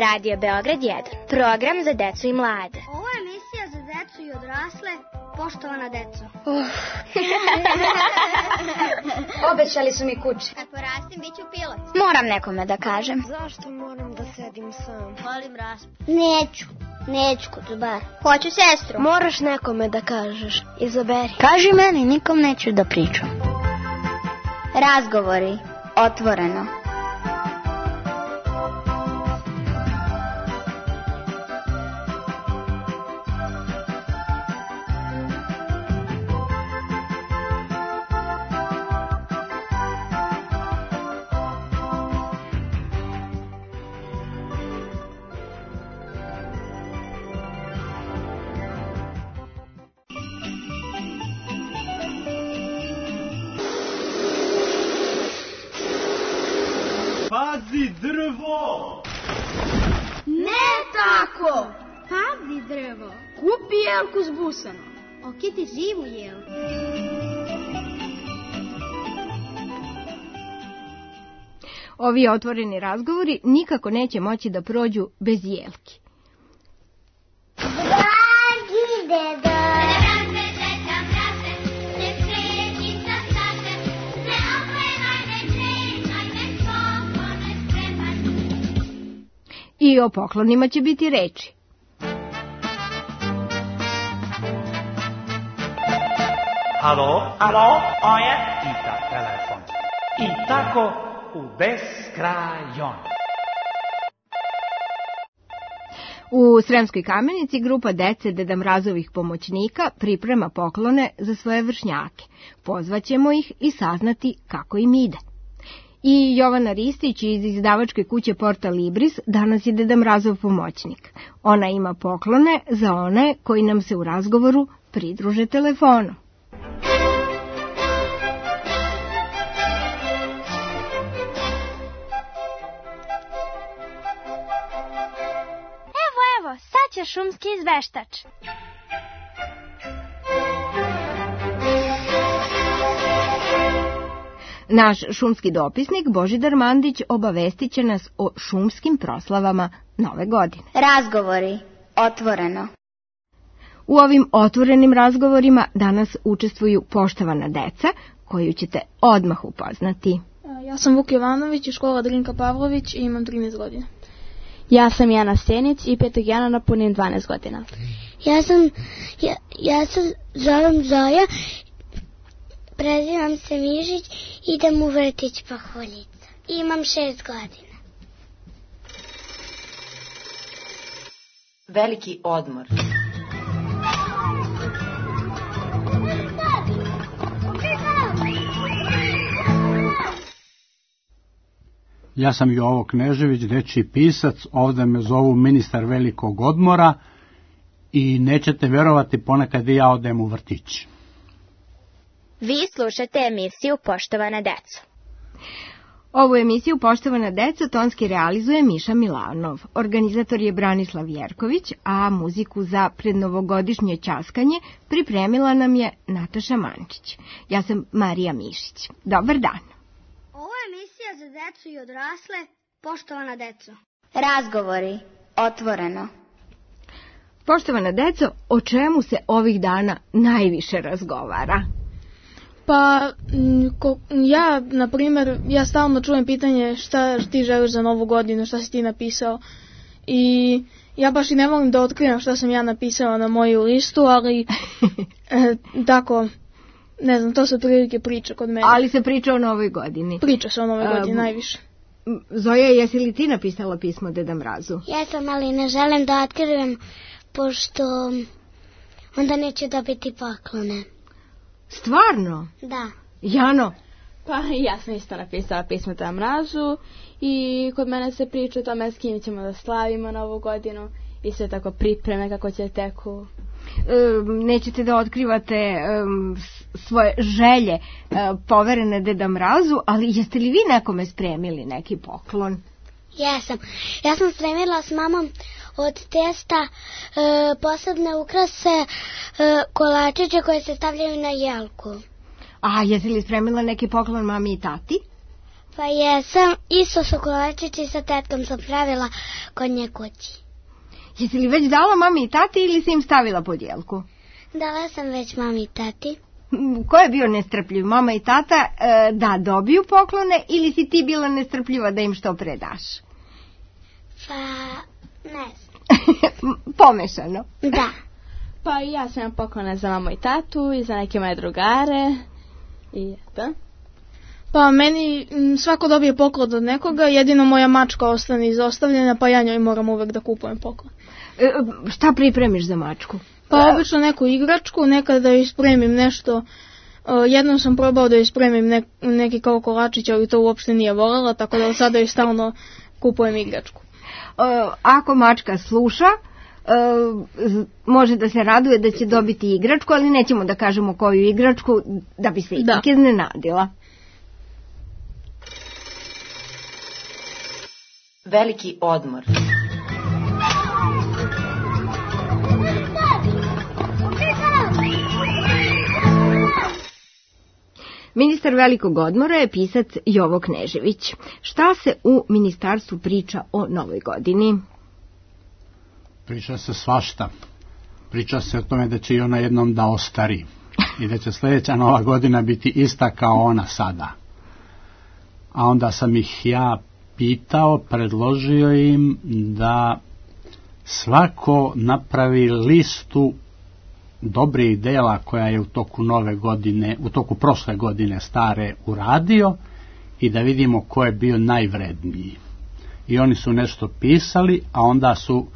Radio Beograd 1. Program za decu i mlade. Ovo je emisija za decu i odrasle. Poštovana deco. Obećali su mi kući. Kad porastim, bit ću pilot. Moram nekome da kažem. Zašto moram da sedim sam? Volim raspad. Neću kod zubara. Hoću sestru. Moraš nekome da kažeš. Izaberi. Kaži meni, nikom neću da pričam. Razgovori. Otvoreno. Pazi drvo! Ne tako! Pazi drvo. Kupi jelku s busanom. Okiti živu jelku. Ovi otvoreni razgovori nikako neće moći da prođu bez jelki. Dragi dedo. I o poklonima će biti reči. Alo, ovo je Ita telefon. I tako u beskrajon. U Sremskoj Kamenici grupa dece Deda Mrazovih pomoćnika priprema poklone za svoje vršnjake. Pozvaćemo ih i saznati kako im ide. I Jovana Ristić iz izdavačke kuće Porta Libris danas je Deda Mrazov pomoćnik. Ona ima poklone za one koji nam se u razgovoru pridruže telefonom. Evo, sad će šumski izveštač. Naš šumski dopisnik Božidar Mandić obavestit će nas o šumskim proslavama Nove godine. Razgovori. Otvoreno. U ovim otvorenim razgovorima danas učestvuju poštovana deca, koju ćete odmah upoznati. Ja sam Vuk Jovanović iz škola Drinka Pavlović i imam 13 godina. Ja sam Jana Stenic i 5. jana napunim 12 godina. Ja se zovem Zoja, prezivam se Mižić, idem u vrtić Paholjica. Imam 6 godina. Veliki odmor. Ja sam Jovo Knežević, dečiji pisac, ovdje me zovu ministar velikog odmora i nećete vjerovati, ponekad i ja odem u vrtić. Vi slušate emisiju Poštovana deco. Ovu emisiju Poštovana deca tonski realizuje Miša Milanov. Organizator je Branislav Jerković, a muziku za prednovogodišnje ćaskanje pripremila nam je Nataša Mančić. Ja sam Marija Mišić. Dobar dan. Ovo je emisija za decu i odrasle. Poštovana deco. Razgovori. Otvoreno. Poštovana deco, o čemu se ovih dana najviše razgovara? Pa, na primjer, ja stalno čujem pitanje šta ti želiš za Novu godinu, šta si ti napisao. I ja baš i ne volim da otkrivam šta sam ja napisala na moju listu, ali tako, ne znam, to se otprilike priča kod mene. Ali se priča o Novoj godini. Priča se o Novoj godini najviše. Zoja, jesi li ti napisala pismo Deda Mrazu? Jesam, ali ne želim da otkrivam, pošto onda neću dobiti poklone. Stvarno? Da. Jano? Pa ja sam isto napisala pismo Deda Mrazu i kod mene se priča o tome s kim ćemo da slavimo Novu godinu i sve tako pripreme kako će teku. Nećete da otkrivate svoje želje poverene Deda Mrazu, ali jeste li vi nekome spremili neki poklon? Jesam. Ja sam spremila s mamom od testa posebne ukrase, kolačiće koje se stavljaju na jelku. A jesi li spremila neki poklon mami i tati? Pa jesam, isto su kolačići sa tetkom sam pravila kod nje kući. Jesi li već dala mami i tati ili si im stavila podijelku? Dala sam već mami i tati. Ko je bio nestrpljiv, mama i tata, da dobiju poklone ili si ti bila nestrpljiva da im što pre daš? Pa, ne znam. Pomešano. Da. Pa ja sam imam poklone za mamu i tatu i za neke moje drugare. I eto. Pa meni svako dobije poklon od nekoga, jedino moja mačka ostane izostavljena, pa ja njoj moram uvek da kupujem poklon. Šta pripremiš za mačku? Pa obično neku igračku, nekada da joj spremim nešto. Jednom sam probao da joj spremim neki kao kolačić, ali to uopšte nije voljela, tako da od sada joj stalno kupujem igračku. Ako mačka sluša, može da se raduje da će dobiti igračku, ali nećemo da kažemo koju igračku, da bi se ipak iznenadila. Veliki odmor. Ministar velikog odmora je pisac Jovo Knežević. Šta se u ministarstvu priča o novoj godini? Priča se svašta. Priča se o tome da će i ona jednom da ostari i da će sljedeća nova godina biti ista kao ona sada. A onda sam ih ja pitao, predložio im da svako napravi listu dobrih dela koja je u toku nove godine, u toku prošle godine stare uradio i da vidimo ko je bio najvredniji. I oni su nešto pisali, a onda su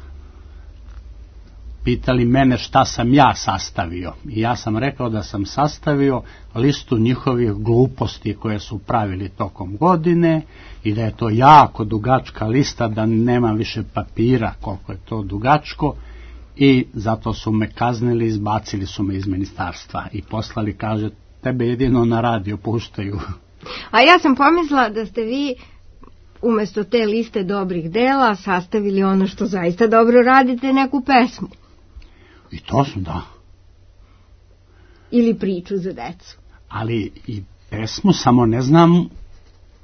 pitali mene šta sam ja sastavio. I ja sam rekao da sam sastavio listu njihovih gluposti koje su pravili tokom godine i da je to jako dugačka lista, da nemam više papira koliko je to dugačko i zato su me kaznili, izbacili su me iz ministarstva i poslali, kaže, tebe jedino na radio puštaju. A ja sam pomislila da ste vi umjesto te liste dobrih dela sastavili ono što zaista dobro radite, neku pesmu. I to su, da. Ili priču za decu. Ali i pesmu, samo ne znam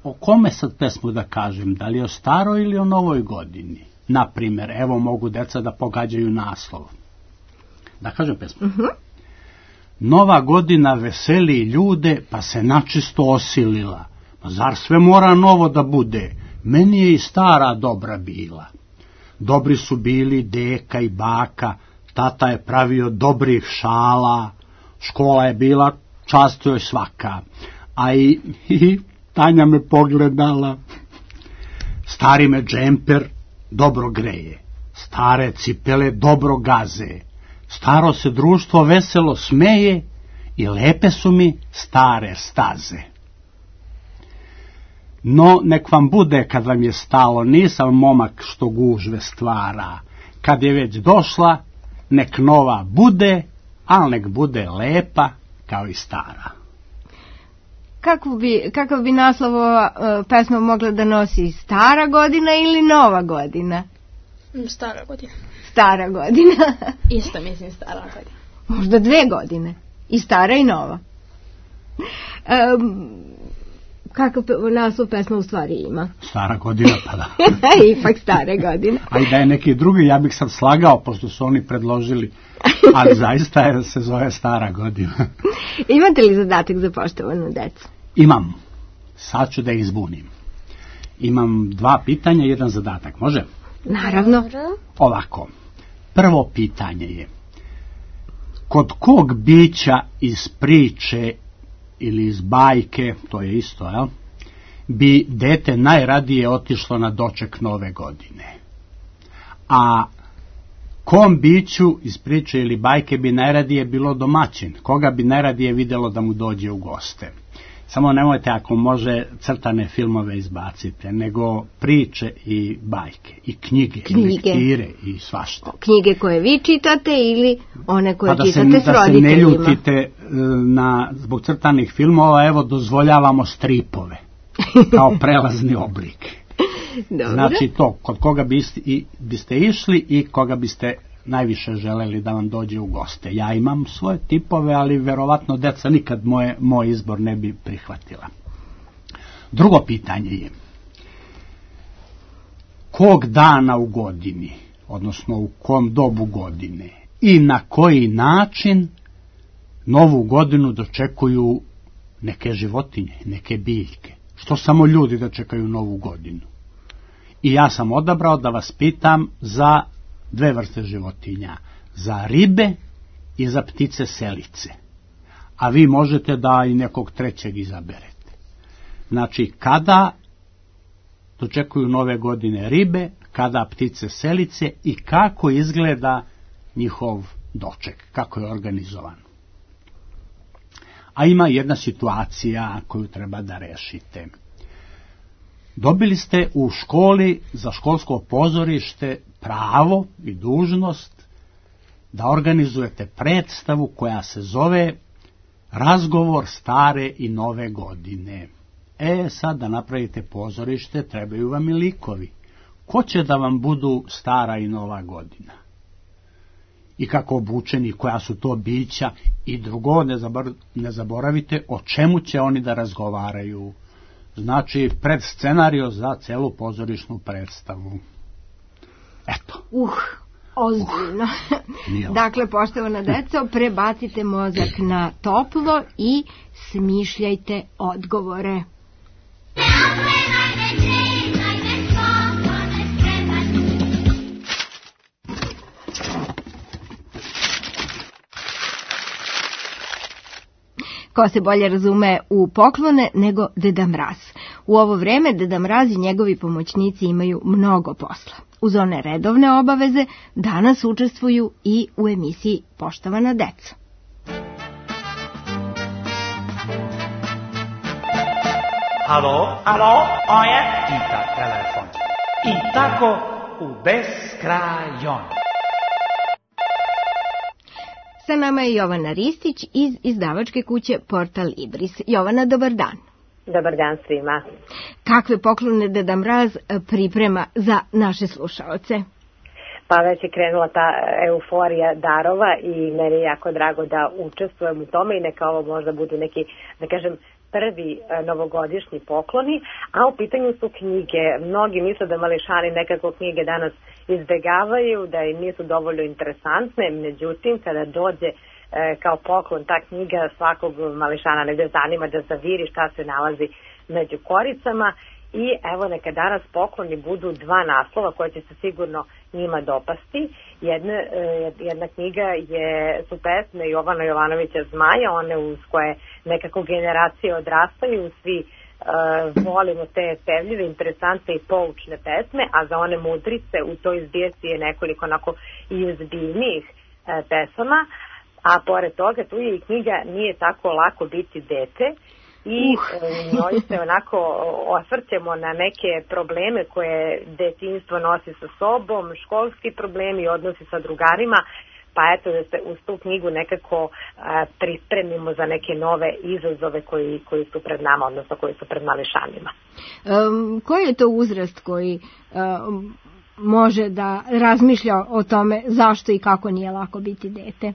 o kome sad pesmu da kažem, da li o staroj ili o novoj godini. Naprimjer, evo mogu deca da pogađaju naslov. Da kažem pesmu. Nova godina veseli ljude, pa se načisto osilila. Pa zar sve mora novo da bude? Meni je i stara dobra bila. Dobri su bili deka i baka, tata je pravio dobrih šala, škola je bila čast joj svaka, a i Tanja me pogledala. Stari me džemper dobro greje, stare cipele dobro gaze, staro se društvo veselo smeje i lepe su mi stare staze. No, nek vam bude kad vam je stalo, nisam momak što gužve stvara, kad je već došla, nek nova bude, al nek bude lepa kao i stara. Kakav bi naslov ova pesma mogla da nosi, stara godina ili nova godina? Stara godina. Stara godina. Isto mislim stara godina. Možda 2 godine. I stara i nova. Kakav naslov pesma u stvari ima? Stara godina, pa da. Ipak stara godina. A i da je neki drugi, ja bih sad slagao, pošto su oni predložili, ali zaista se zove stara godina. Imate li zadatak za poštovanu decu? Imam. Sad ću da ih zbunim. Imam 2 pitanja i 1 zadatak, može? Naravno. Ovako. Prvo pitanje je, kod kog bića iz priče ili iz bajke, to je isto, jel, bi dete najradije otišlo na doček nove godine? A kom biću iz priče ili bajke bi najradije bilo domaćin? Koga bi najradije vidjelo da mu dođe u goste? Samo nemojte, ako može, crtane filmove izbacite, nego priče i bajke, i knjige. I lektire i svašta. Knjige koje vi čitate ili one koje čitate s roditeljima? Da se ne ljutite zbog crtanih filmova, evo dozvoljavamo stripove kao prelazni oblik. Dobro. Znači to, kod koga biste išli i koga biste najviše želeli da vam dođe u goste. Ja imam svoje tipove, ali verovatno deca nikad moj izbor ne bi prihvatila. Drugo pitanje je, kog dana u godini, odnosno u kom dobu godine i na koji način novu godinu dočekuju neke životinje, neke biljke? Što samo ljudi dočekaju novu godinu? I ja sam odabrao da vas pitam za dve vrste životinja, za ribe i za ptice selice. A vi možete da i nekog trećeg izaberete. Znači, kada dočekuju nove godine ribe, kada ptice selice i kako izgleda njihov doček, kako je organizovan. A ima jedna situacija koju treba da rešite. Dobili ste u školi za školsko pozorište pravo i dužnost da organizujete predstavu koja se zove Razgovor stare i nove godine. Sad da napravite pozorište trebaju vam i likovi. Ko će da vam budu stara i nova godina? I kako obučeni, koja su to bića? I drugo, ne zaboravite o čemu će oni da razgovaraju. Znači, predscenario za celu pozorišnu predstavu. Eto. Ozbiljno. Dakle, poštovana deco, prebacite mozak na toplo i smišljajte odgovore. Ko se bolje razume u poklone nego Deda Mraz? U ovo vreme Deda Mraz i njegovi pomoćnici imaju mnogo posla. Uz one redovne obaveze danas učestvuju i u emisiji Poštovana deca. Alo, ovo je Tita telefon. I tako u beskrajon. Sa nama je Jovana Ristić iz izdavačke kuće Portal Libris. Jovana, dobar dan. Dobar dan svima. Kakve poklone Deda Mraz priprema za naše slušaoce? Pa već je krenula ta euforija darova i meni je jako drago da učestvujem u tome i neka ovo možda budu neki, da kažem, prvi novogodišnji pokloni, a u pitanju su knjige. Mnogi misle da mališani nekako knjige danas izbegavaju, da im nisu dovoljno interesantne, međutim kada dođe kao poklon ta knjiga svakog mališana negde zanima da zaviri šta se nalazi među koricama i evo neka danas pokloni budu dva naslova koje će se sigurno njima dopasti. Jedna knjiga su pesme Jovana Jovanovića Zmaja, one uz koje nekako generacije odrastaju, svi volimo te pevljive, interesantne i poučne pesme, a za one mudrice u toj zbirci je nekoliko onako i uzbiljnijih pesama. A pored toga tu je i knjiga Nije tako lako biti dete i njoj se onako osvrćemo na neke probleme koje detinjstvo nosi sa sobom, školski problemi, odnosi sa drugarima, pa eto da se uz tu knjigu nekako pripremimo za neke nove izazove koji su pred nama, odnosno koji su pred mališanima. Koji je to uzrast koji može da razmišlja o tome zašto i kako nije lako biti dete?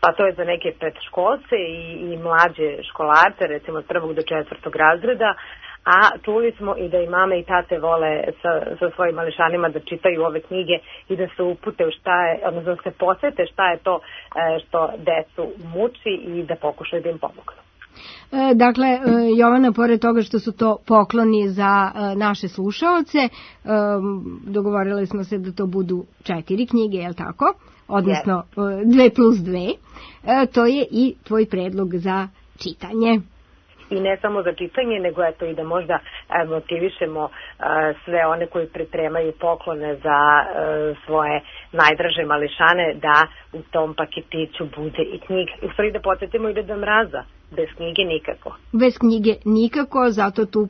Pa to je za neke predškolce i mlađe školarce, recimo od 1. do 4. razreda, a čuli smo i da i mame i tate vole sa svojim mališanima da čitaju ove knjige i da se upute u šta je, odnosno da se posvete šta je to što decu muči i da pokušaju da im pomognu. Dakle, Jovana, pored toga što su to pokloni za naše slušaoce, dogovorili smo se da to budu 4 knjige, je li tako? Odnosno 2+2, to je i tvoj predlog za čitanje. I ne samo za čitanje, nego eto i da možda motivišemo sve one koji pripremaju poklone za svoje najdraže mališane da u tom paketiću bude i knjiga. U stvari da podsjetimo i Deda Mraza. Bez knjige nikako. Bez knjige nikako, zato tu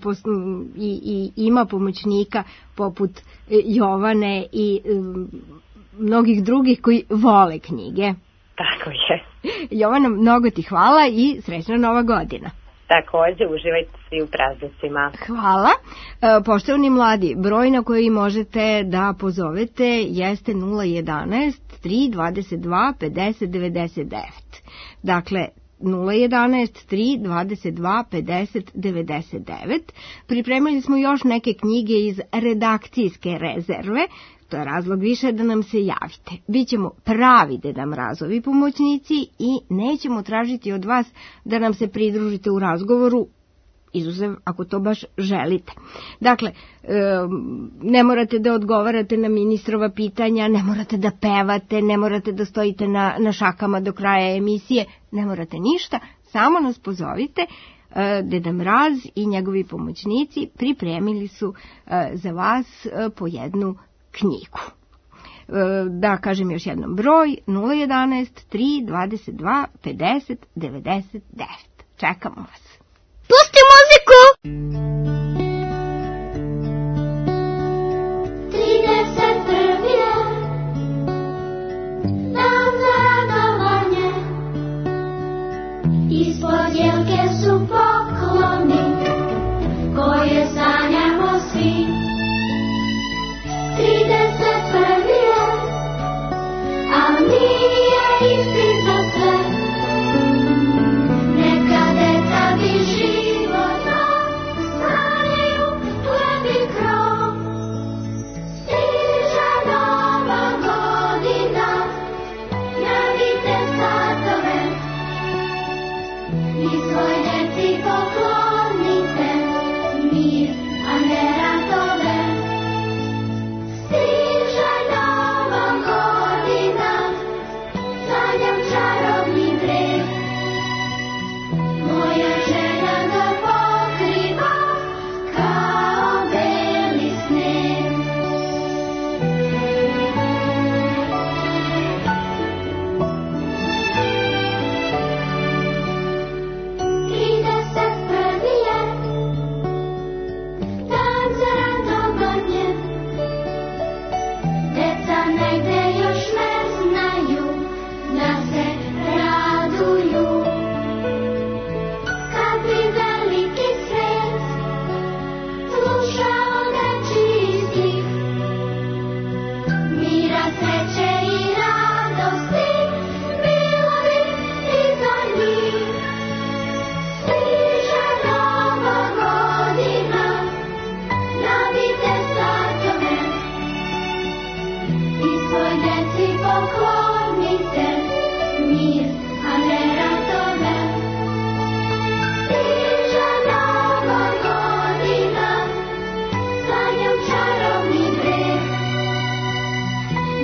i ima pomoćnika poput Jovane i mnogih drugih koji vole knjige. Tako je. Jovana, mnogo ti hvala i srećna Nova godina. Takođe, uživajte svi u praznicima. Hvala. Poštovani mladi, broj na koji možete da pozovete jeste 011 322 50 99. Dakle, 011 3 22 50 99. Pripremili smo još neke knjige iz redakcijske rezerve. To je razlog više da nam se javite. Bićemo pravi Deda Mrazovi pomoćnici i nećemo tražiti od vas da nam se pridružite u razgovoru, izuzev ako to baš želite. Dakle, ne morate da odgovarate na ministrova pitanja, ne morate da pevate, ne morate da stojite na šakama do kraja emisije, ne morate ništa, samo nas pozovite. Deda Mraz i njegovi pomoćnici pripremili su za vas po jednu knjigu. Da kažem još jednom broj 011 3 22 50 99. Čekamo vas. Pusti muziku! 31. dan za radovanje, ispod jelke su pokloni koje sanjamo svi. 31. a nije isti za sve. Neka deca bi života stanju plebi krov. Stiže nova godina, javite satove i svoj deci poklonite mir, a ne ratove. Stiže nova godina, sanjam čarobni breg. Moja želja ga pokriva kao beli sneg. 31. je dan za radovanje, deca negde još ne znaju da se raduju. Kad bi veliki svet slušao nečiji stih, mira, sreće i radosti, bilo bi i za njih. Stiže nova godina, javite satove i svoj deci poklonite mir, a ne ratove. Stiže nova godina, sanjam čarobni breg.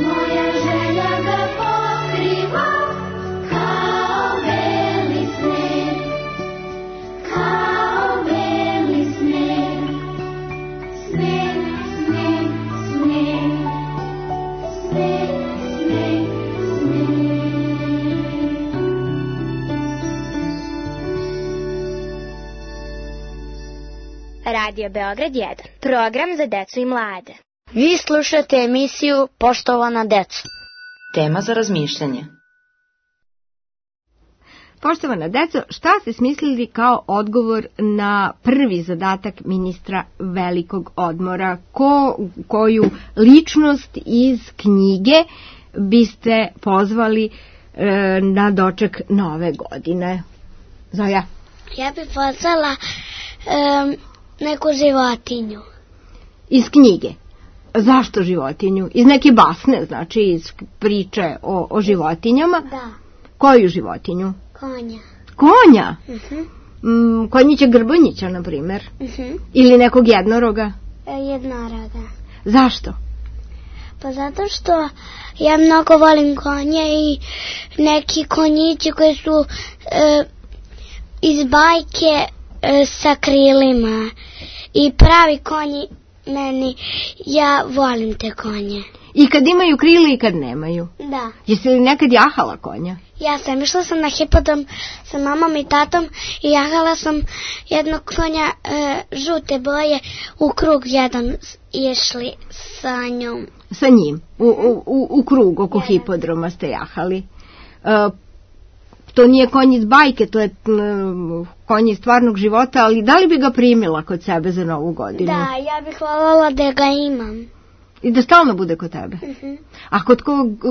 Moja želja ga pokriva kao beli sneg, kao beli sneg. Sneg, sneg, sneg, sneg, sneg, sneg. Radio Beograd 1. Program za decu i mlade. Vi slušate emisiju Poštovana deco. Tema za razmišljanje. Poštovana deco, šta ste smislili kao odgovor na prvi zadatak ministra velikog odmora? Koju ličnost iz knjige biste pozvali na doček nove godine? Zoja? Ja bih pozvala neku životinju. Iz knjige? Zašto životinju? Iz neke basne, znači iz priče o životinjama? Da. Koju životinju? Konja. Konja? Konjića Grbonjića, na primjer? Ili nekog jednoroga? Jednoroga. Zašto? Pa zato što ja mnogo volim konje i neki konjići koji su iz bajke sa krilima i pravi konji meni, ja volim te konje. I kad imaju krila i kad nemaju? Da. Jesi li nekad jahala konja? Ja sam išla na hipodrom sa mamom i tatom i jahala sam jednog konja žute boje, u krug jedan išli sa njom. Sa njim? U krug oko hipodroma ste jahali? To nije konj iz bajke, to je konj iz stvarnog života, ali da li bi ga primila kod sebe za Novu godinu? Da, ja bih voljela da ga imam. I da stalno bude kod tebe? A kod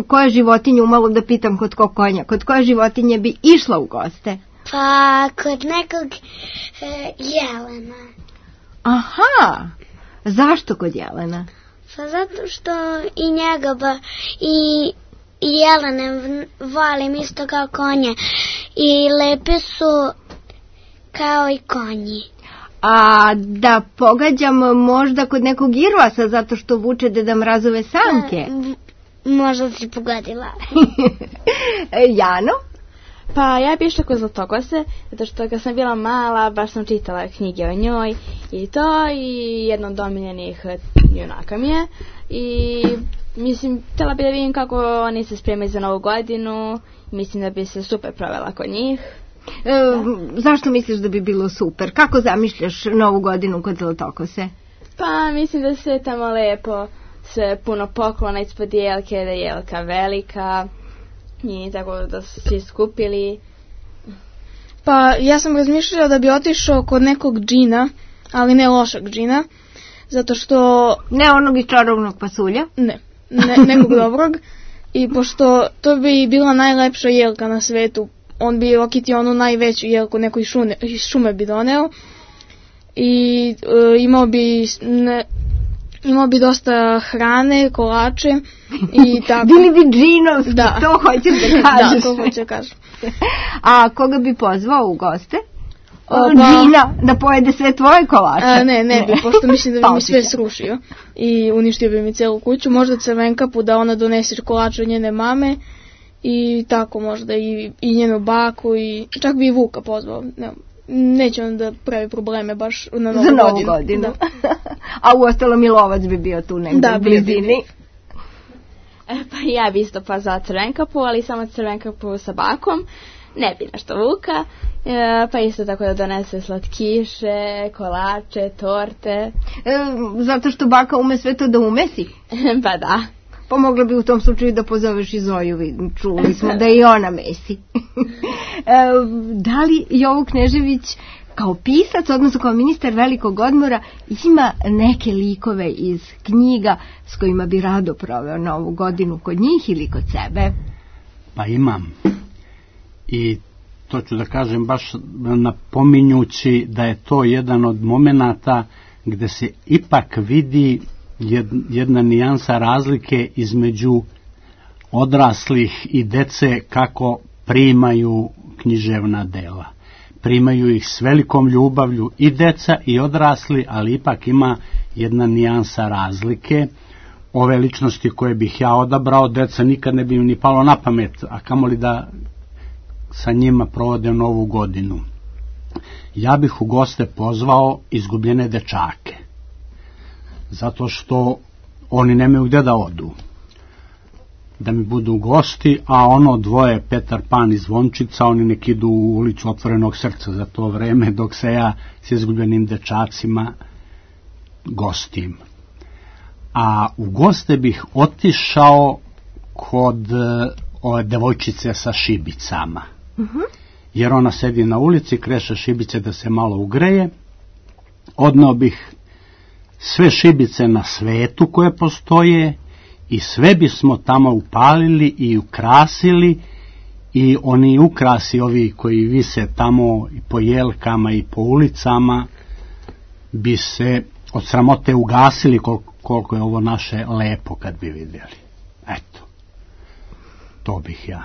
koje životinje, umalo da pitam kod kog konja, kod koje životinje bi išla u goste? Pa kod nekog jelena. Aha, zašto kod jelena? Pa zato što i njega i jelene volim isto kao konje i lepe su kao i konji. A da pogađam možda kod nekog irvasa zato što vuče Deda Mrazove sanke? Možda si pogodila. Jano? Pa ja bi išla kod Zlatokose, zato što kad sam bila mala baš sam čitala knjige o njoj i to, i jedno od omiljenih junaka mi je. I mislim, htjela bi da vidim kako oni se spremaju za Novu godinu, mislim da bi se super provela kod njih. Zašto misliš da bi bilo super? Kako zamišljaš Novu godinu kod Zlatokose? Pa mislim da se tamo lepo, sve puno poklona ispod jelke, da je jelka velika i tako da su svi skupili. Pa ja sam razmišljala da bi otišao kod nekog džina, ali ne lošeg džina, zato što... Ne onog iz Čarovnog pasulja? Ne, nekog dobrog. I pošto to bi bila najlepša jelka na svetu, on bi okitio onu najveću jelku, neku iz šume bi doneo i imao bi dosta hrane, kolače i tako. Bili bi džinovski, da. To hoćeš da kažeš. Da, to hoću da kažem. A koga bi pozvao u goste? Džina, da pojede sve tvoje kolače? Ne bi, pošto mislim da bi mi sve srušio i uništio bi mi celu kuću. Možda Crvenkapu da ona donese kolače od njene mame i tako možda i njenu baku i čak bi i Vuka pozvao. Neće on da pravi probleme baš na Novu godinu. Da. A uostalo Milovac bi bio tu negdje u blizini. Pa ja bi isto pozvala Crvenkapu, ali samo Crvenkapu sa bakom. Ne bi nešto Vuka, pa isto tako da donese slatkiše, kolače, torte. Zato što baka ume sve to da umesi? Pa da. Pa mogla bi u tom slučaju da pozoveš i Zoju, čuli smo da i ona mesi. Da li Jovo Knežević kao pisac, odnosno kao ministar velikog odmora, ima neke likove iz knjiga s kojima bi rado proveo Novu godinu kod njih ili kod sebe? Pa imam. I to ću da kažem baš napominjući da je to jedan od momenata gde se ipak vidi jedna nijansa razlike između odraslih i dece kako primaju književna dela. Primaju ih s velikom ljubavlju i deca i odrasli, ali ipak ima jedna nijansa razlike. Ove ličnosti koje bih ja odabrao, deca nikad ne bi im ni palo na pamet, a kamoli da sa njima provode Novu godinu. Ja bih u goste pozvao izgubljene dečake, zato što oni nemaju gde da odu, da mi budu gosti, a ono dvoje, Petar Pan i Zvončica, oni nek idu u ulicu Otvorenog srca za to vreme, dok se ja s izgubljenim dečacima gostim. A u goste bih otišao kod ove devojčice sa šibicama. Jer ona sedi na ulici, kreše šibice da se malo ugreje. Odneo bih sve šibice na svetu koje postoje i sve bismo tamo upalili i ukrasili, i oni ukrasi ovi koji vise tamo i po jelkama i po ulicama bi se od sramote ugasili koliko je ovo naše lepo kad bi vidjeli. Eto, to bih ja.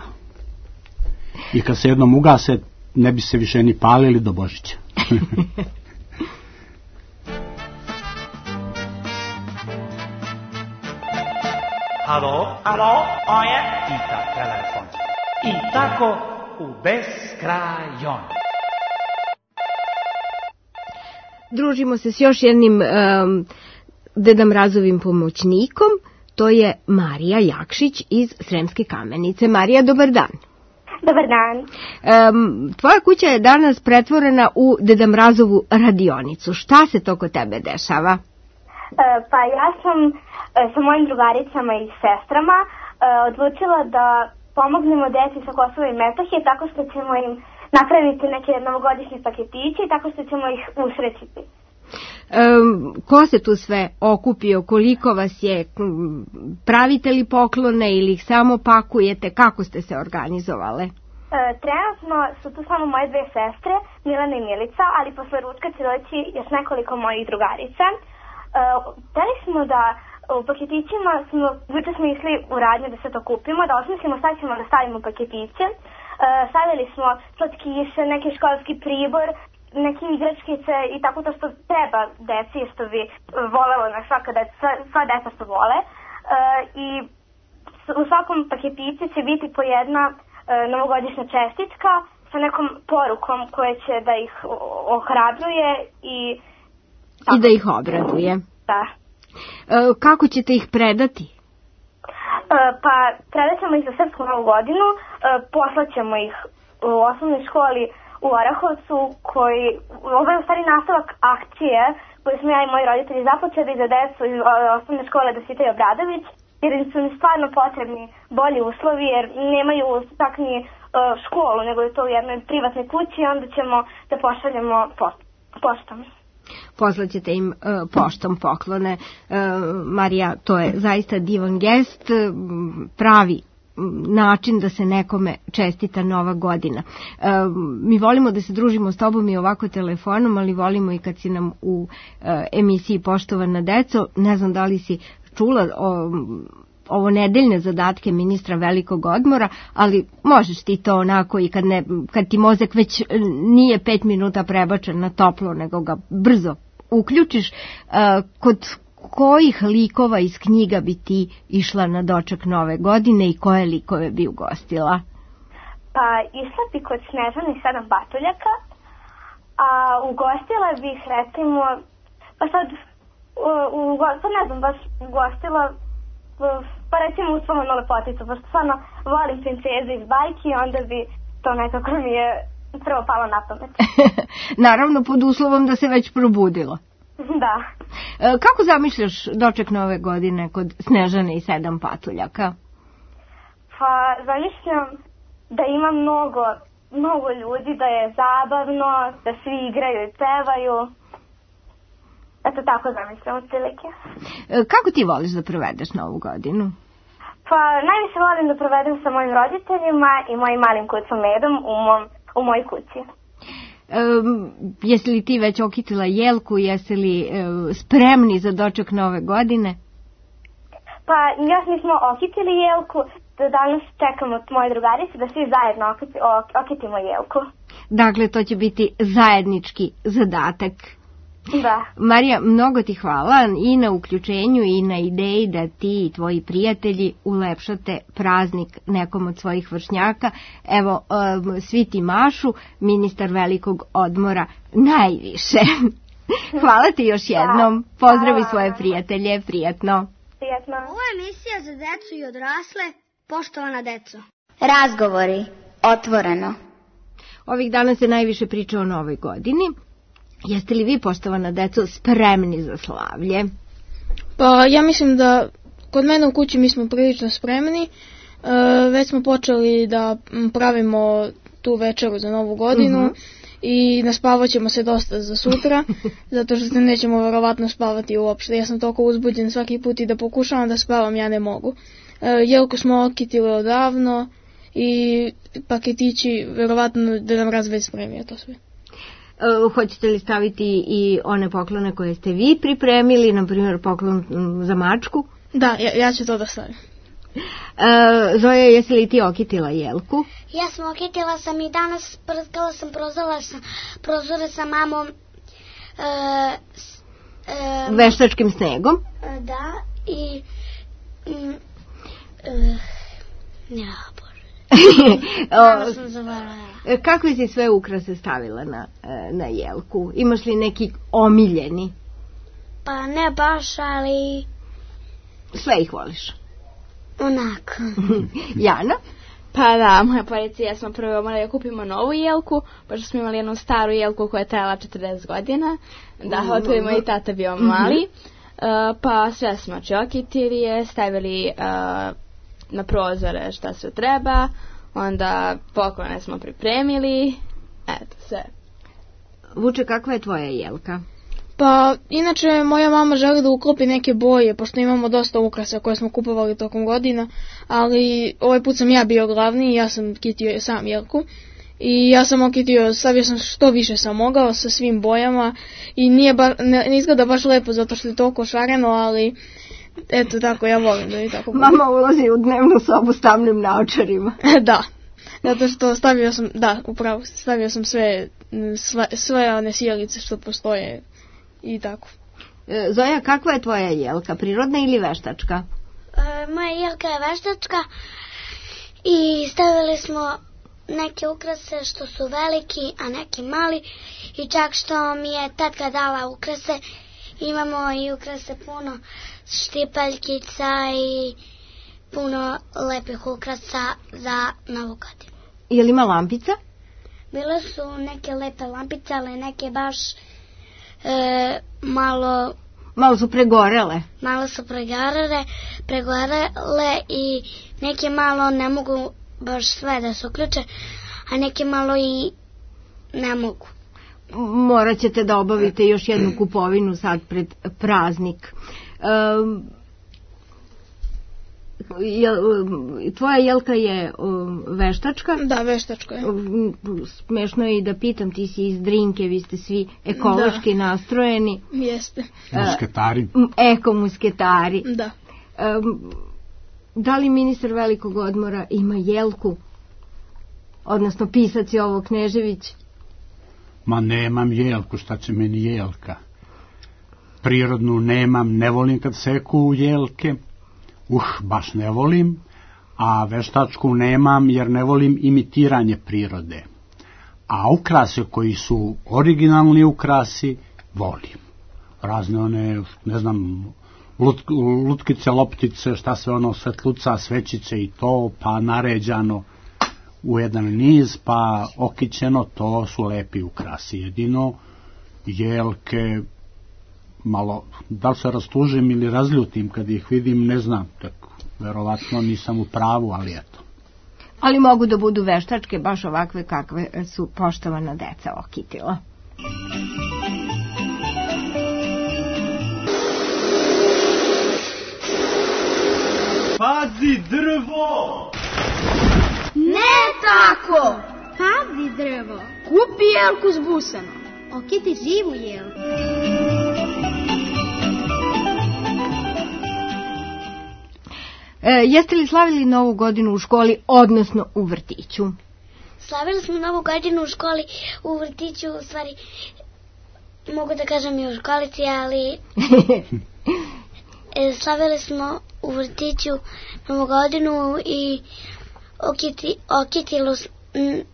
I kad se jednom ugase, ne bi se više ni palili do Božića. Alo, ovo je Ita telefon. I tako u beskrajon. Družimo se s još jednim Deda Mrazovim pomoćnikom, to je Marija Jakšić iz Sremske Kamenice. Marija, dobar dan. Dobar dan. Tvoja kuća je danas pretvorena u Deda Mrazovu radionicu. Šta se to kod tebe dešava? Pa ja sam sa mojim drugaricama i sestrama odlučila da pomognemo deci sa Kosova i Metohije tako što ćemo im napraviti neke novogodišnje paketiće i tako što ćemo ih usrećiti. Ko se tu sve okupio, koliko vas je, pravite li poklone ili ih samo pakujete, kako ste se organizovale? Trenutno su tu samo moje dve sestre, Milana i Milica, ali posle ručka će doći još nekoliko mojih drugarica. Hteli smo da u paketićima, juče smo išli u radnju da se to kupimo, da osmislimo šta ćemo da stavimo u paketiće. Stavili smo slatkiše, neki školski pribor, neke igračkice i tako to što treba deci, što bi volelo na sva deca što vole. I u svakom paketiću će biti po jedna novogodišnja čestitka sa nekom porukom koja će da ih ohrabruje i da ih obraduje. Da. Kako ćete ih predati? Pa predat ćemo ih za Srpsku novu godinu, poslaćemo ih u osnovnoj školi u Orahovcu, ovo je u stvari nastavak akcije koju smo ja i moji roditelji započeli za decu iz osnovne škole Dositej Obradović, jer im su mi stvarno potrebni bolji uslovi, jer nemaju tak ni školu, nego je to u jednoj privatnoj kući i onda ćemo da pošaljemo poštom. Poslaćete im poštom poklone. Marija, to je zaista divan gest, pravi način da se nekome čestita nova godina. Mi volimo da se družimo s tobom i ovako telefonom, ali volimo i kad si nam u emisiji Poštovana deco. Ne znam da li si čula ovo nedeljne zadatke ministra velikog odmora, ali možeš ti to onako i kad ti mozak već nije 5 minuta prebačen na toplo, nego ga brzo uključiš. Kod kojih likova iz knjiga bi ti išla na doček nove godine i koje likove bi ugostila? Pa išla bi kod Snežane i 7 patuljaka, a ugostila bih recimo, pa sad ne znam, baš ugostila pa recimo u Svomanu lepoticu, pošto stvarno volim princeze iz bajki i onda bi to nekako mi je prvo palo na pamet. Naravno pod uslovom da se već probudila. Da. Kako zamišljaš doček nove godine kod Snežane i 7 patuljaka? Pa zamišljam da ima mnogo ljudi, da je zabavno, da svi igraju i pevaju. Eto tako zamišljam otprilike. Kako ti voliš da provedeš novu godinu? Pa najviše volim da provedem sa mojim roditeljima i mojim malim kucom Medom u mojoj kući. Jesi li ti već okitila jelku, jesi li spremni za doček nove godine? Pa još nismo okitili jelku, danas čekamo moje drugarice da svi zajedno okitimo jelku. Dakle, to će biti zajednički zadatak. Da. Marija, mnogo ti hvala i na uključenju i na ideji da ti i tvoji prijatelji ulepšate praznik nekom od svojih vršnjaka. Evo, svi ti mašu, ministar velikog odmora najviše. Hvala ti još jednom. Pozdravi svoje prijatelje, prijatno. Prijatno. Ovo je emisija za decu i odrasle, Poštovana deco. Razgovori, otvoreno. Ovih dana se najviše priča o novoj godini. Jeste li vi, poštovana deco, spremni za slavlje? Pa ja mislim da kod mene u kući mi smo prilično spremni. Već smo počeli da pravimo tu večeru za novu godinu i naspavat ćemo se dosta za sutra, zato što se nećemo verovatno spavati uopšte. Ja sam toliko uzbuđen svaki put i da pokušavam da spavam, ja ne mogu. Jelku smo okitili odavno i paketići verovatno da nam razveć spremio to sve. Hoćete li staviti i one poklone koje ste vi pripremili, na primjer poklon za mačku? Da, ja ću to da stavim. Zoja, jesi li ti okitila jelku? Ja sam okitila sam i danas prskala sam prozore sa mamom veštačkim snegom. Da, i ja, Bože. Danas sam zavarala. Kakve si sve ukrase stavila na jelku? Imaš li neki omiljeni? Pa ne baš, ali... Sve ih voliš? Onako. Jana? Pa da, moja policija smo prvo morali da kupimo novu jelku, pošto smo imali jednu staru jelku koja je trajala 40 godina. Da, otvorimo i tata bio mali. Pa sve smo okitili je, stavili na prozore šta se treba. Onda poklone smo pripremili. Eto, sve. Vuče, kakva je tvoja jelka? Pa, inače, moja mama želi da uklopi neke boje, pošto imamo dosta ukrasa koje smo kupovali tokom godina, ali ovaj put sam ja bio glavni i ja sam kitio sam Jelku. I ja sam okitio, stavio sam što više sam mogao sa svim bojama i ne izgleda baš lepo zato što je toliko šareno, ali eto tako, ja volim da je tako. Mama ulazi u dnevnu sobu s tamnim naočarima. Da, zato što stavio sam sve one sjelice što postoje i tako. Zoja, kakva je tvoja jelka, prirodna ili veštačka? Moja jelka je veštačka i stavili smo neke ukrase što su veliki, a neki mali i čak što mi je tatka dala ukrase, imamo i ukrase puno štipaljkica i puno lepih ukrasa za Novu godinu. Je li ima lampica? Bile su neke lepe lampice, ali neke baš malo su pregorele. Malo su pregorele i neke malo ne mogu baš sve da se uključe, a neke malo i ne mogu. Morat ćete da obavite još jednu kupovinu sad pred praznik. Tvoja jelka je veštačka? Da, veštačka je. Smešno je i da pitam, ti si iz Drinke, vi ste svi ekološki nastrojeni. Jeste. Musketari. Eko-musketari. Da. Da li ministar velikog odmora ima jelku? Odnosno pisac Jovo Knežević? Ma nemam jelku, šta će meni jelka? Prirodnu nemam, ne volim kad seku jelke. Baš ne volim. A veštačku nemam jer ne volim imitiranje prirode. A ukrase koji su originalni ukrasi volim. Razne one, ne znam, lutkice, loptice, šta sve ono, svetluca, svećice i to, pa naređano u jedan niz, pa okićeno, to su lepi ukrasi. Jedino jelke, malo, da li se rastužim ili razljutim kad ih vidim, ne znam, tako, verovatno nisam u pravu, ali eto. Ali mogu da budu veštačke, baš ovakve kakve su poštovana deca okitila. Pazi drvo! Ne tako! Pazi drvo! Kupi jelku s busama. Okiti živu jelku. Jeste li slavili Novu godinu u školi, odnosno u vrtiću? Slavili smo Novu godinu u školi, u vrtiću, u stvari, mogu da kažem i u školici, ali slavili smo u vrtiću Novu godinu i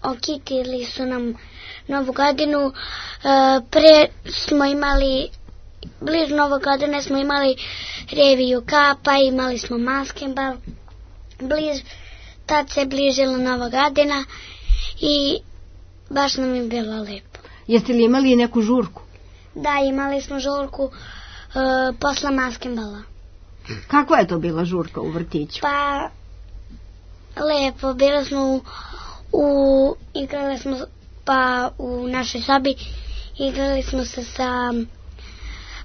okitili su nam Novu godinu. Pre smo imali, blizu Nove godine smo imali reviju kapa, imali smo maskenbal, tad se bližila Nova godina i baš nam je bilo lepo. Jeste li imali neku žurku? Da, imali smo žurku posle maskenbala. Kakva je to bila žurka u vrtiću? Pa, lepo, bili smo igrali smo u našoj sobi, igrali smo se sa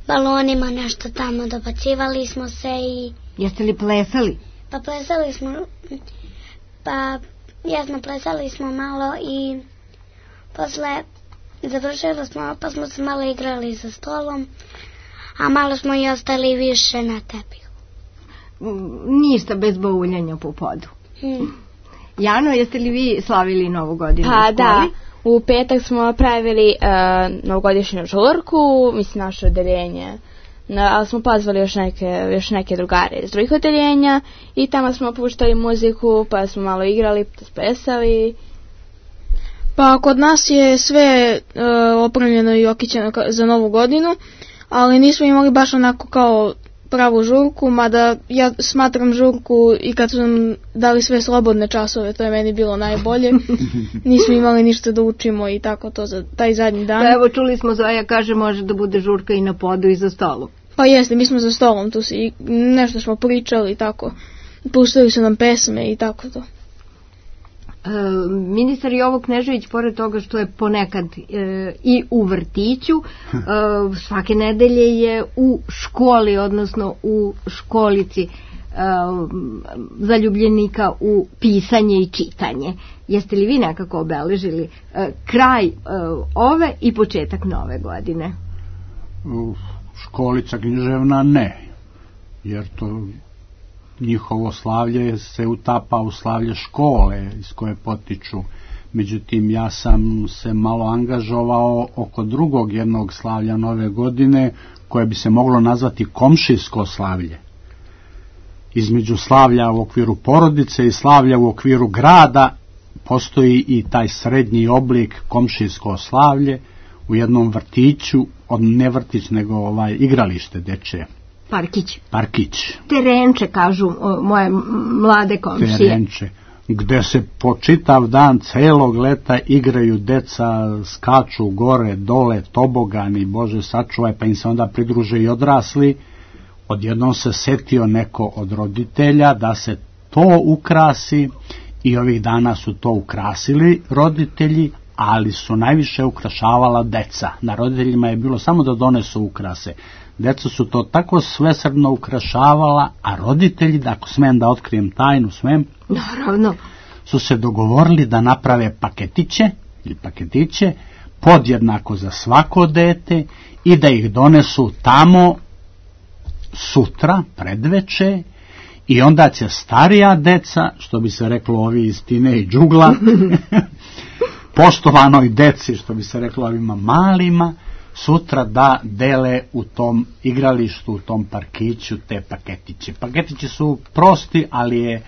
balonima, nešto tamo, dobacivali smo se i... Jeste li plesali? Pa plesali smo, plesali smo malo i posle završili smo, pa smo se malo igrali za stolom, a malo smo i ostali više na tepihu. Ništa bez bauljanja po podu. Jano, jeste li vi slavili Novu godinu u školi? Da, u petak smo pravili novogodišnju žurku, mislim naše odeljenje, ali smo pozvali još neke drugare iz drugih odeljenja i tamo smo puštali muziku, pa smo malo igrali, plesali. Pa kod nas je sve opremljeno i okićeno za Novu godinu, ali nismo imali baš onako kao pravu žurku, mada ja smatram žurku i kad su nam dali sve slobodne časove, to je meni bilo najbolje. Nismo imali ništa da učimo i tako to za taj zadnji dan. Pa evo čuli smo, Zoja kaže može da bude žurka i na podu i za stolom. Pa jeste, mi smo za stolom tu i nešto smo pričali i tako. Puštali su nam pesme i tako to. Ministar Jovo Knežević, pored toga što je ponekad i u vrtiću, svake nedelje je u školi, odnosno u školici zaljubljenika u pisanje i čitanje. Jeste li vi nekako obeležili kraj ove i početak nove godine? Školica književna ne, jer to njihovo slavlje se utapa u slavlje škole iz koje potiču. Međutim, ja sam se malo angažovao oko drugog jednog slavlja nove godine, koje bi se moglo nazvati komšijsko slavlje. Između slavlja u okviru porodice i slavlja u okviru grada postoji i taj srednji oblik komšijsko slavlje u jednom vrtiću, ne vrtić nego igralište dečje. Parkić. Terenče, kažu moje mlade komšije. Terenče, gde se po čitav dan celog leta igraju deca, skaču gore, dole, tobogani, Bože sačuvaj, pa im se onda pridruže i odrasli. Odjednom se setio neko od roditelja da se to ukrasi i ovih dana su to ukrasili roditelji, ali su najviše ukrašavala deca. Na roditeljima je bilo samo da donesu ukrase. Deca su to tako svesrdno ukrašavala, a roditelji, da ako smem da otkrijem tajnu, smem, naravno, su se dogovorili da naprave paketiće podjednako za svako dete i da ih donesu tamo sutra, predveče, i onda će starija deca, što bi se reklo ovi iz tinejdžugla, poštovanoj deci, što bi se reklo ovima malima, sutra da dele u tom igralištu, u tom parkiću te paketiće. Paketići su prosti, ali je,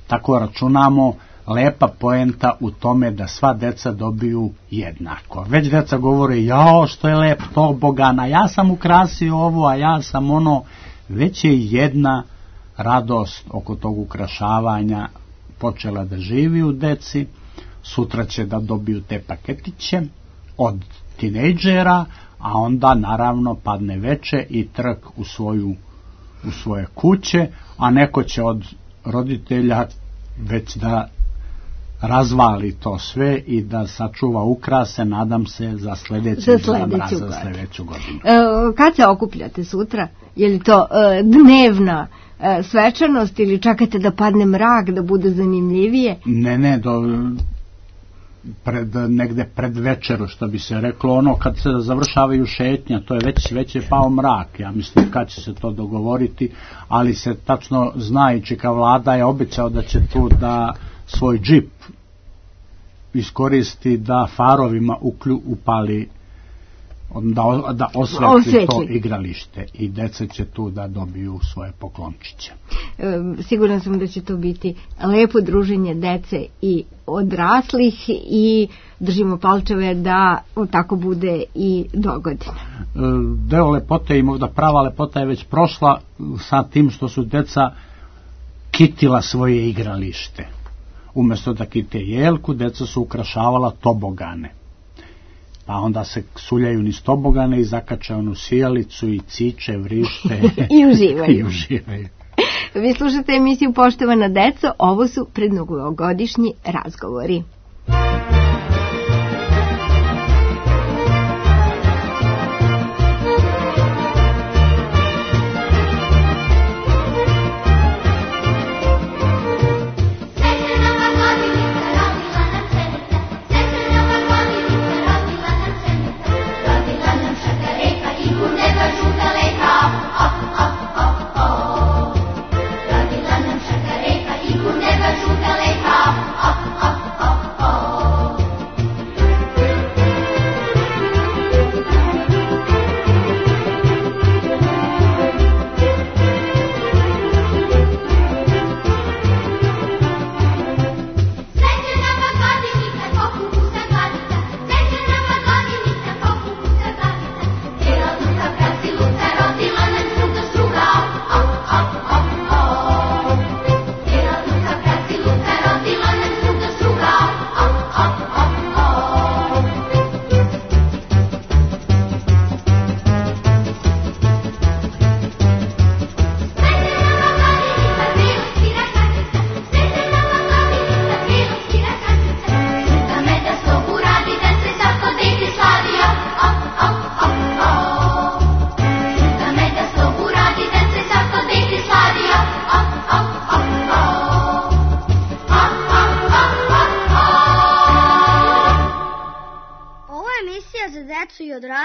tako računamo, lepa poenta u tome da sva deca dobiju jednako. Već deca govore, jao što je lep tobogan, a ja sam ukrasio ovo, a ja sam ono. Već je jedna radost oko tog ukrašavanja počela da živi u deci. Sutra će da dobiju te paketiće od tinejdžera, a onda naravno padne veče i trk u svoje kuće, a neko će od roditelja već da razvali to sve i da sačuva ukrase, nadam se, za sljedeću godinu. Kad se okupljate sutra? Je li to dnevna svečanost ili čekate da padne mrak, da bude zanimljivije? Ne, negde pred večeru, što bi se reklo, kad se završavaju šetnja, to je već je pao mrak. Ja mislim kad će se to dogovoriti, ali se tačno zna i čeka vlada je obećao da će tu da svoj džip iskoristi da farovima upali, da osvetli to igralište i deca će tu da dobiju svoje poklončiće. Sigurno sam da će to biti lepo druženje dece i odraslih i držimo palčeve da tako bude i dogodine. Deo lepote i možda prava lepota je već prošla sa tim što su deca kitila svoje igralište. Umjesto da kite jelku, deca su ukrašavala tobogane. Pa onda se suljaju niz tobogane i zakače onu sijalicu i ciče, vrište i uživaju. Vi slušate emisiju Poštovana deco, ovo su prednovogodišnji razgovori. Up, up, up.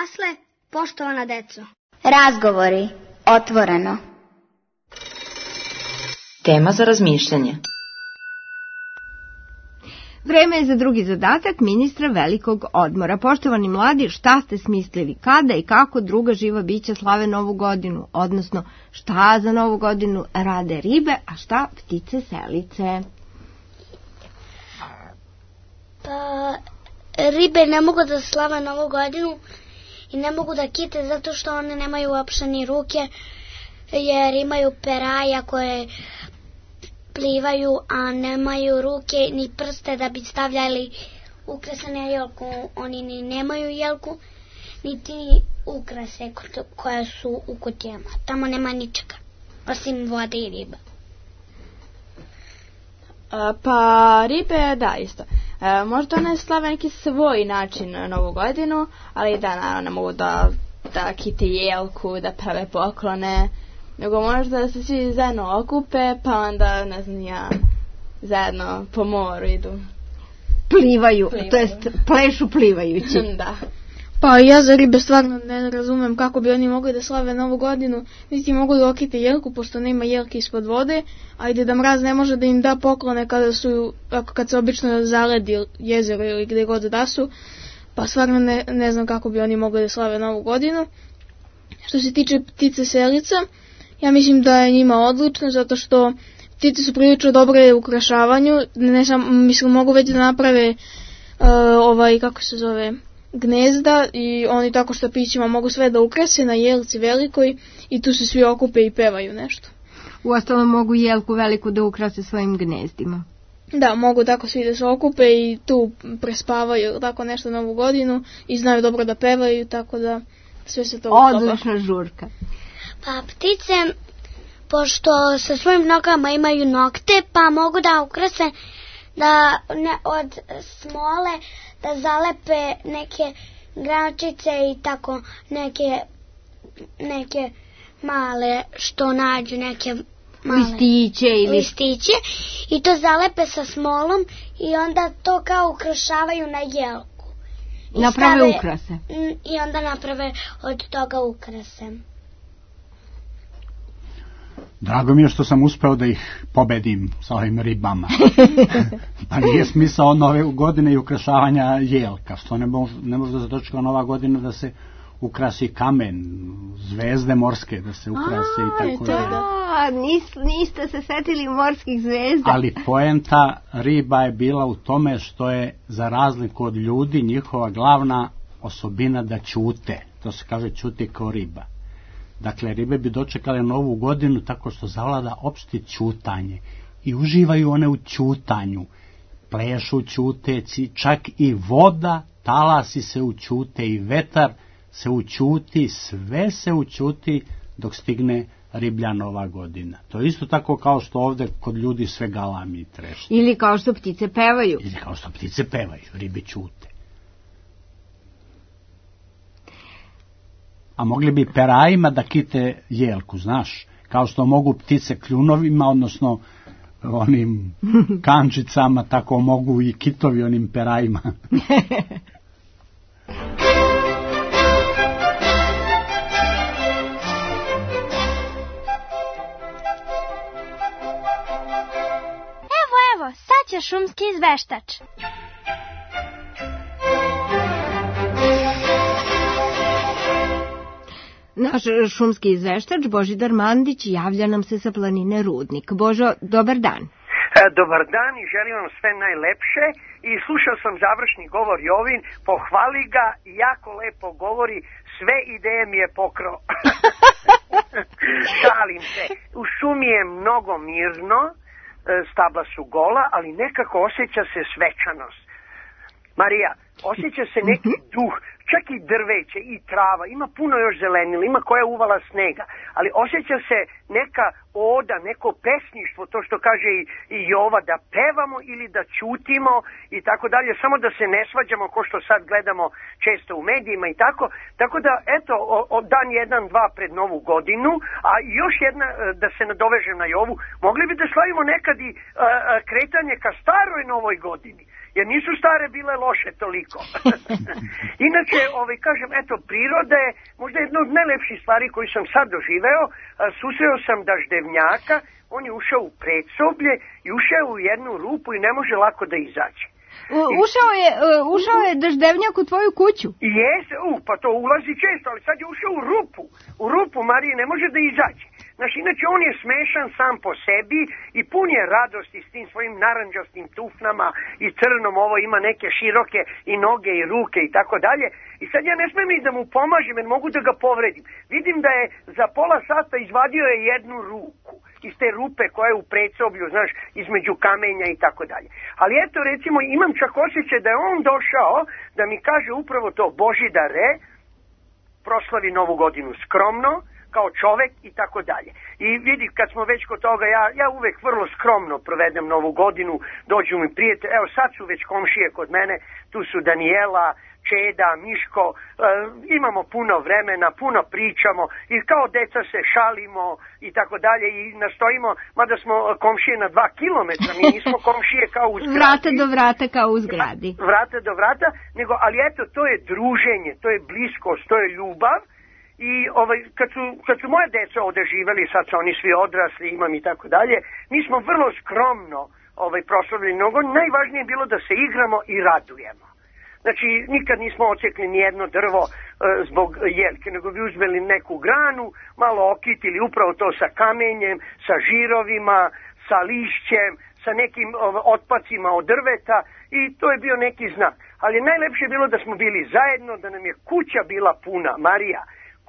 odrasle, poštovana deco. Razgovori, otvoreno. Tema za razmišljanje. Vreme je za drugi zadatak ministra velikog odmora. Poštovani mladi, šta ste smislili? Kada i kako druga živa bića slave Novu godinu? Odnosno, šta za Novu godinu rade ribe, a šta ptice selice? Pa, ribe ne mogu da slave Novu godinu i ne mogu da kite zato što one nemaju uopšte ni ruke, jer imaju peraja koje plivaju, a nemaju ruke ni prste da bi stavljali ukrase na jelku. Oni ni nemaju jelku, niti ukrase koja su u kutijama. Tamo nema ničega, osim vode i riba. Pa ribe, da, isto. Možda one slave neki svoj način Novu godinu, ali da, naravno, ne mogu da kite jelku, da prave poklone, nego možda da se svi zajedno okupe, pa onda, ne znam ja, zajedno po moru idu. Plivaju. To jest plešu plivajući. Da. Pa ja za ribe stvarno ne razumem kako bi oni mogli da slave Novu godinu, niti mogu da okite jelku, pošto nema jelke ispod vode, a i Deda Mraz ne može da im da poklone kad se obično zaledi jezero ili gde god da su, pa stvarno ne znam kako bi oni mogli da slave Novu godinu. Što se tiče ptice selica, ja mislim da je njima odlično, zato što ptice su prilično dobre u ukrašavanju, mislim mogu već da naprave gnezda i oni tako štapićima mogu sve da ukrase na jelci velikoj i tu se svi okupe i pevaju nešto. Uostalom mogu jelku veliku da ukrase svojim gnezdima. Da, mogu tako svi da se okupe i tu prespavaju tako nešto Novu godinu i znaju dobro da pevaju, tako da sve se to odlična žurka. Pa ptice, pošto sa svojim nogama imaju nokte, pa mogu da ukrase da od smole da zalepe neke grančice i tako neke male što nađu, neke male listiće i to zalepe sa smolom i onda to kao ukrašavaju na jelku. Naprave ukrase. I onda naprave od toga ukrase. Drago mi je što sam uspeo da ih pobedim sa ovim ribama. Pa nije smisao Nove godine i ukrašavanja jelka. Što ne može da se dočeka Nova godina da se ukrasi kamen, zvezde morske da se ukrase i tako dalje. Niste se setili morskih zvezda. Ali poenta riba je bila u tome što je, za razliku od ljudi, njihova glavna osobina da ćute. To se kaže ćuti kao riba. Dakle, ribe bi dočekale Novu godinu tako što zavlada opšte ćutanje i uživaju one u ćutanju. Plešu ćuteci, čak i voda, talasi se ućute i vetar se ućuti, sve se ućuti dok stigne riblja Nova godina. To je isto tako kao što ovde kod ljudi sve galami i trešnje. Ili kao što ptice pevaju. Ribe ćute. A mogli bi perajima da kite jelku, znaš, kao što mogu ptice kljunovima, odnosno onim kančicama, tako mogu i kitovi onim perajima. Evo, sad će šumski izveštač. Naš šumski izveštač Božidar Mandić javlja nam se sa planine Rudnik. Božo, dobar dan. Dobar dan i želim vam sve najlepše i slušao sam završni govor Jovin, pohvali ga, jako lepo govori, sve ideje mi je pokrao. Šalim se, u šumi je mnogo mirno, stabla su gola, ali nekako osjeća se svečanost. Marija, osjeća se neki duh, čak i drveće i trava, ima puno još zelenila, ima koja uvala snega, ali osjeća se neka oda, neko pesništvo, to što kaže i Jova, da pevamo ili da ćutimo i tako dalje, samo da se ne svađamo ko što sad gledamo često u medijima i tako da eto, dan 1-2 pred Novu godinu, a još jedna, da se nadovežem na Jovu, mogli bi da slavimo nekad i kretanje ka staroj Novoj godini. jer nisu stare bile loše toliko. Inače, kažem, eto, priroda je možda jedna od najlepših stvari koju sam sad doživeo. Susreo sam daždevnjaka, on je ušao u predsoblje i ušao u jednu rupu i ne može lako da izađe. Ušao je daždevnjak u tvoju kuću? Pa to ulazi često, ali sad je ušao u rupu. U rupu, Marije, ne može da izađe. Znaš, inače on je smešan sam po sebi i pun je radosti s tim svojim naranđastim tufnama i crnom, ovo ima neke široke i noge i ruke i tako dalje. I sad ja ne smijem ni da mu pomažem jer mogu da ga povredim. Vidim da je za pola sata izvadio je jednu ruku iz te rupe koja je u predsoblju, znaš, između kamenja i tako dalje. Ali eto, recimo, imam čak osjećaj da je on došao da mi kaže upravo to: Božidare, proslavi Novu godinu skromno, kao čovek i tako dalje. I vidi, kad smo već kod toga, ja uvek vrlo skromno provedem Novu godinu, dođu mi prijatelji, evo sad su već komšije kod mene, tu su Danijela, Čeda, Miško, imamo puno vremena, puno pričamo i kao deca se šalimo i tako dalje i nastojimo, mada smo komšije na 2 kilometra, mi nismo komšije kao u zgradi. Vrata do vrata kao u zgradi. Vrata do vrata, nego, ali eto, to je druženje, to je bliskost, to je ljubav. I kad su moje deca ovde živeli, sad su oni svi odrasli, imam i tako dalje, mi smo vrlo skromno proslavili mnogo. Najvažnije je bilo da se igramo i radujemo. Znači, nikad nismo ocekli ni jedno drvo zbog jelke, nego bi uzmeli neku granu, malo okitili upravo to sa kamenjem, sa žirovima, sa lišćem, sa nekim otpacima od drveta i to je bio neki znak. Ali najlepše je bilo da smo bili zajedno, da nam je kuća bila puna, Marija,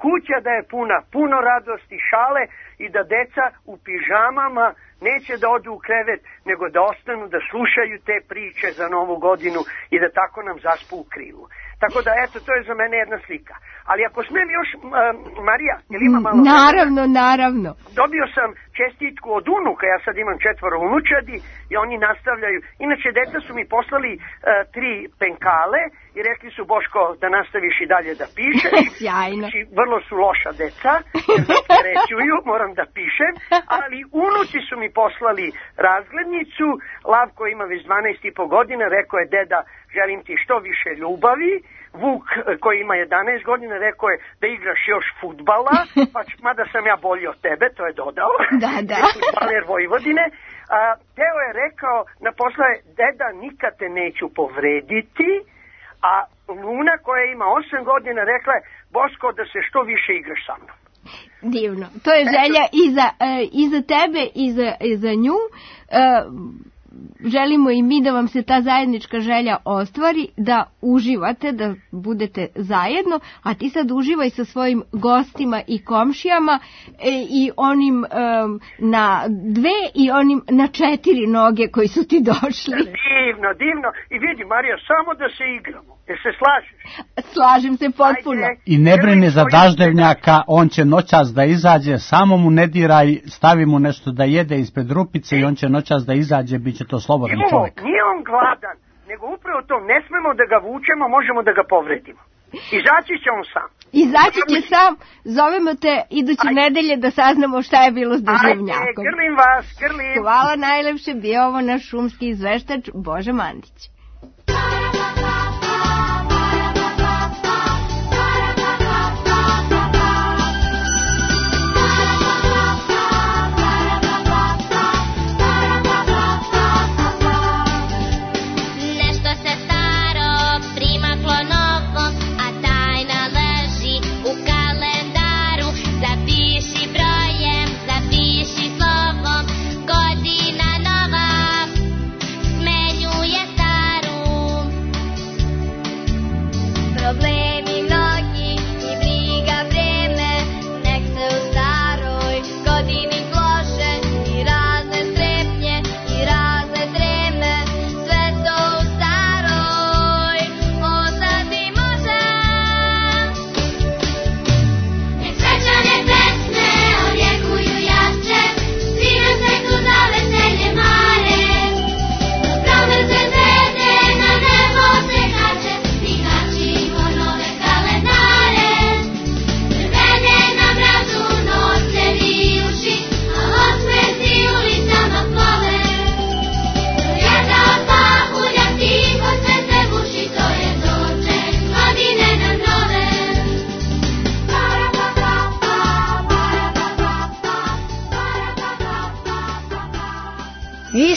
kuća da je puna, puno radosti, šale i da deca u pižamama neće da odu u krevet, nego da ostanu da slušaju te priče za Novu godinu i da tako nam zaspu u krilu. Tako da, eto, to je za mene jedna slika. Ali ako smijem još, Marija, jel ima malo... Naravno. Dobio sam čestitku od unuka, ja sad imam 4 unučadi i oni nastavljaju. Inače, deca su mi poslali 3 penkale i rekli su: Boško, da nastaviš i dalje da pišeš. Sjajno. Znači, vrlo su loša deca, jer ne opterećuju, moram da pišem, ali unuci su mi poslali razglednicu. Lavko ima već 12,5 godina, rekao je: deda, želim ti što više ljubavi. Vuk, koji ima 11 godina, rekao je da igraš još fudbala, pa mada sam ja bolji od tebe, to je dodao. Da. Fudbaler Vojvodine. Teo je rekao, naposle, deda, nikad te neću povrediti, a Luna, koja ima 8 godina, rekla je: Boško, da se što više igraš sa mnom. Divno. To je želja i za tebe i za nju. Želimo i mi da vam se ta zajednička želja ostvari, da uživate, da budete zajedno, a ti sad uživaj sa svojim gostima i komšijama i onim na 2 i onim na 4 noge koji su ti došli. Divno. I vidi, Marija, samo da se igramo. Jel se slažeš? Slažem se potpuno. Ajde, i ne brini za daždevnjaka, on će noćas da izađe, samo mu ne diraj, stavi mu nešto da jede ispred rupice i on će noćas da izađe, bit će to slobodan čovjek. Nije on gladan, nego upravo to, ne smemo da ga vučemo, možemo da ga povredimo. Izaći će on sam. Izaći će sam, zovemo te iduće nedelje da saznamo šta je bilo s daždevnjakom. Ajde, grlim vas. Hvala najlepše, bio ovo naš šumski izveštač Boža Mandić.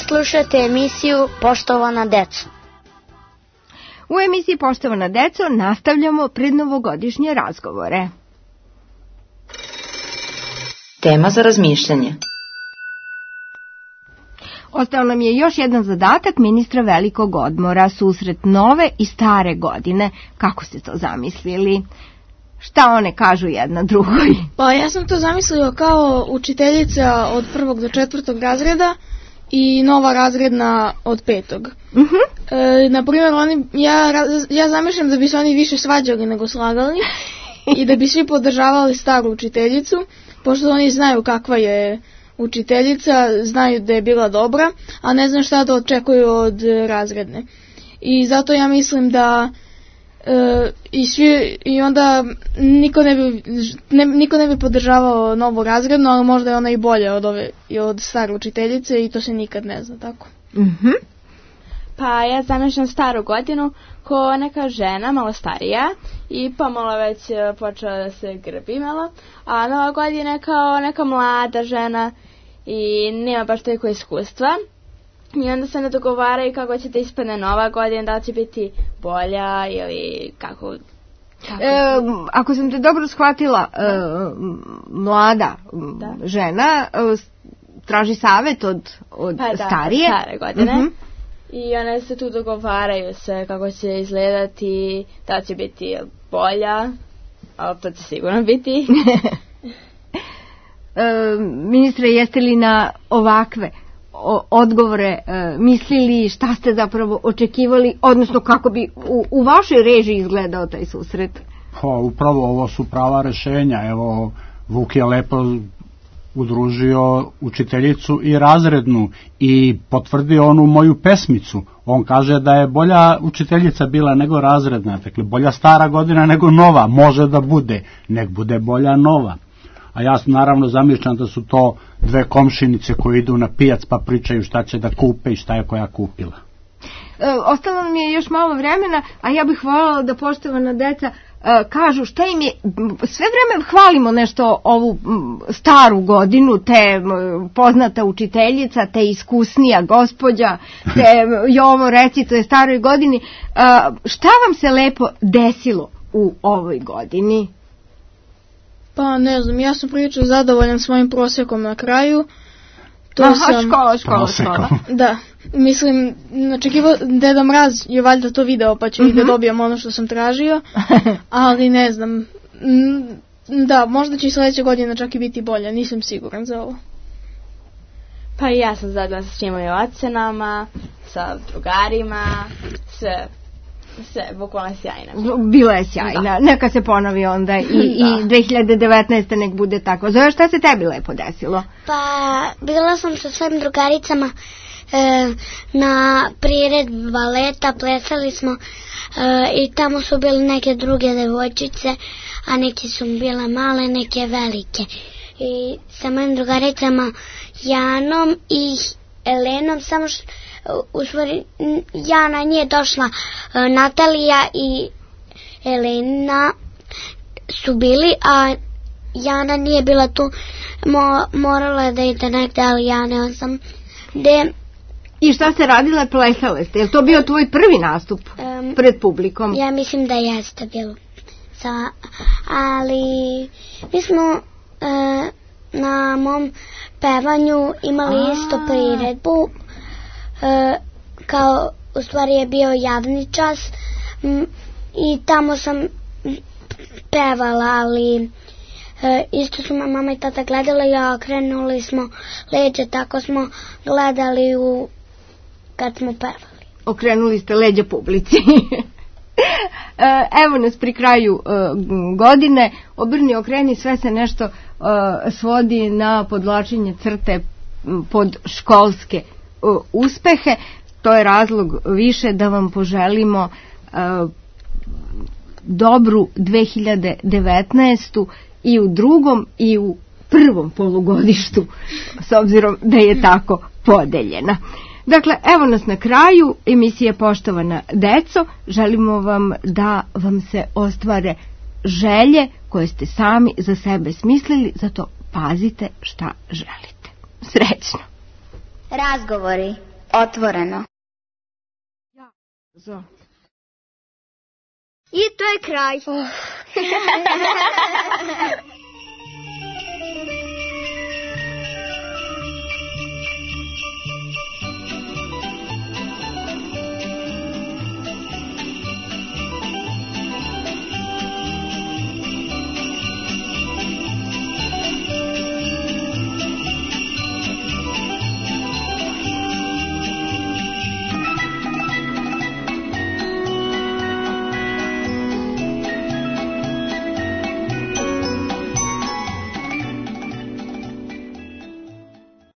slušate emisiju Poštovana deco. U emisiji Poštovana deco nastavljamo prednovogodišnje razgovore. Tema za razmišljanje. Ostao nam je još jedan zadatak ministra velikog odmora, susret nove i stare godine. Kako ste to zamislili? Šta one kažu jedna drugoj? Pa ja sam to zamislio kao učiteljica od 1. do 4. razreda i nova razredna od 5. Naprimjer, ja zamišljam da bi se oni više svađali nego slagali i da bi svi podržavali staru učiteljicu, pošto oni znaju kakva je učiteljica, znaju da je bila dobra, a ne znam šta da očekuju od razredne. I zato ja mislim da i onda niko ne bi podržavao novu razrednu, ali možda je ona i bolja od stare učiteljice i to se nikad ne zna, tako. Pa ja zamišljam staru godinu ko neka žena malo starija i pomalo već počela da se grbi malo, a nova godina je kao neka mlada žena i nema baš toliko iskustva. I onda se ne dogovaraju kako će da ispadne nova godina, da li će biti bolja ili kako. Ako sam te dobro shvatila, mlada žena traži savjet od starije. Stare godine. I one se tu dogovaraju se kako će izgledati, da će biti bolja, ali to će sigurno biti. Ministre, jeste li na ovakve odgovore mislili, šta ste zapravo očekivali, odnosno kako bi u vašoj režiji izgledao taj susret? Pa upravo ovo su prava rešenja. Evo, Vuk je lepo udružio učiteljicu i razrednu i potvrdio onu moju pesmicu. On kaže da je bolja učiteljica bila nego razredna, dakle bolja stara godina nego nova, može da bude, nek bude bolja nova. A ja naravno zamišljam da su to dve komšinice koje idu na pijac pa pričaju šta će da kupe i šta je koja kupila. Ostalo nam je još malo vremena, a ja bih voljela da poštovana deca kažu šta im je, sve vreme hvalimo nešto ovu staru godinu, te poznata učiteljica, te iskusnija gospođa, te Jovo recituje staroj godini. Šta vam se lepo desilo u ovoj godini? Pa ne znam, ja sam prilično zadovoljan svojim prosjekom na kraju. Škola. Da, mislim, Deda Mraz je valjda to video pa će i da dobijem ono što sam tražio, ali ne znam, da, možda će i sledeće godine čak i biti bolja, nisam siguran za ovo. Pa i ja sam zadovoljna sa svim mojim ocenama, sa drugarima, sve bukvalno sjajna. Bila je sjajna, neka se ponovi onda i 2019. nek bude tako. Zove, šta se tebi lepo desilo? Pa bila sam sa svojim drugaricama na priredbi baleta, plesali smo i tamo su bile neke druge devojčice, a neke su bile male, neke velike. I sa mojim drugaricama Janom i Elenom, samo što u stvari Jana nije došla, Natalija i Elena su bili, a Jana nije bila tu, morala je da ide negde, ali ja ne znam gde. I šta ste radile, plesale ste? Je li to bio tvoj prvi nastup pred publikom? Ja mislim da jeste bilo. Ali mi smo na mom pevanju imali isto priredbu, kao u stvari je bio javni čas i tamo sam pevala, ali isto su mama i tata gledali, a okrenuli smo leđa, tako smo gledali kad smo pevali. Okrenuli ste leđa publici. Evo nas pri kraju godine, obrni okreni, sve se nešto svodi na podvlačenje crte pod školske uspehe. To je razlog više da vam poželimo dobru 2019. i u drugom i u prvom polugodištu, s obzirom da je tako podeljena. Dakle, evo nas na kraju emisije Poštovana deco. Želimo vam da vam se ostvare želje koje ste sami za sebe smislili, zato pazite šta želite. Srećno! Razgovori Otvoreno. I to je kraj.